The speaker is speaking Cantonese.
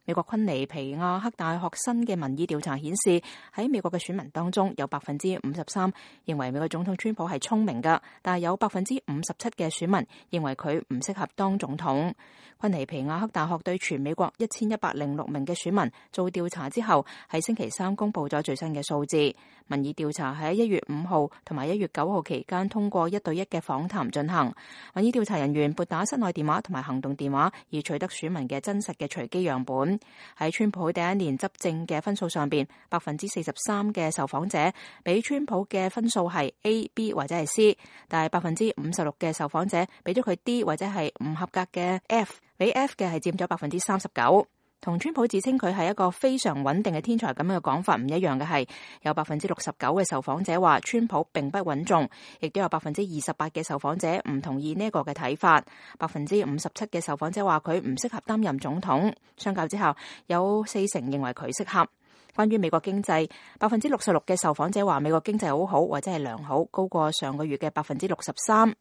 美國昆尼皮亞克大學新嘅民意調查顯示，喺美國嘅選民當中有53%認為美國總統川普係聰明㗎，但係有57%嘅選民認為佢唔適合當總統。昆尼皮亞克大學對全美國1106名嘅選民做調查之後，喺星期三公布咗最新嘅數字。民意調查喺1月5號同埋1月9號期間通過1對1嘅訪談進行。民意調查人員撥打室內電話同埋行動電話，以取得選民嘅真實嘅隨機樣本。喺川普第一年執政嘅分數上邊，43%嘅受訪者俾川普嘅分數係 A、B 或者係 C， 但係56%嘅受訪者俾咗佢 D 或者係唔合格嘅 F， 俾 F 嘅係佔咗39%。同川普自稱佢係一個非常穩定嘅天才咁樣嘅講法唔一樣嘅係，有69%嘅受訪者話川普並不穩重，亦都有28%嘅受訪者唔同意呢個嘅睇法。57%嘅受訪者話佢唔適合擔任總統，相較之下有40%認為佢適合。關於美國經濟，66%嘅受訪者話美國經濟好好或者係良好，高過上個月嘅63%。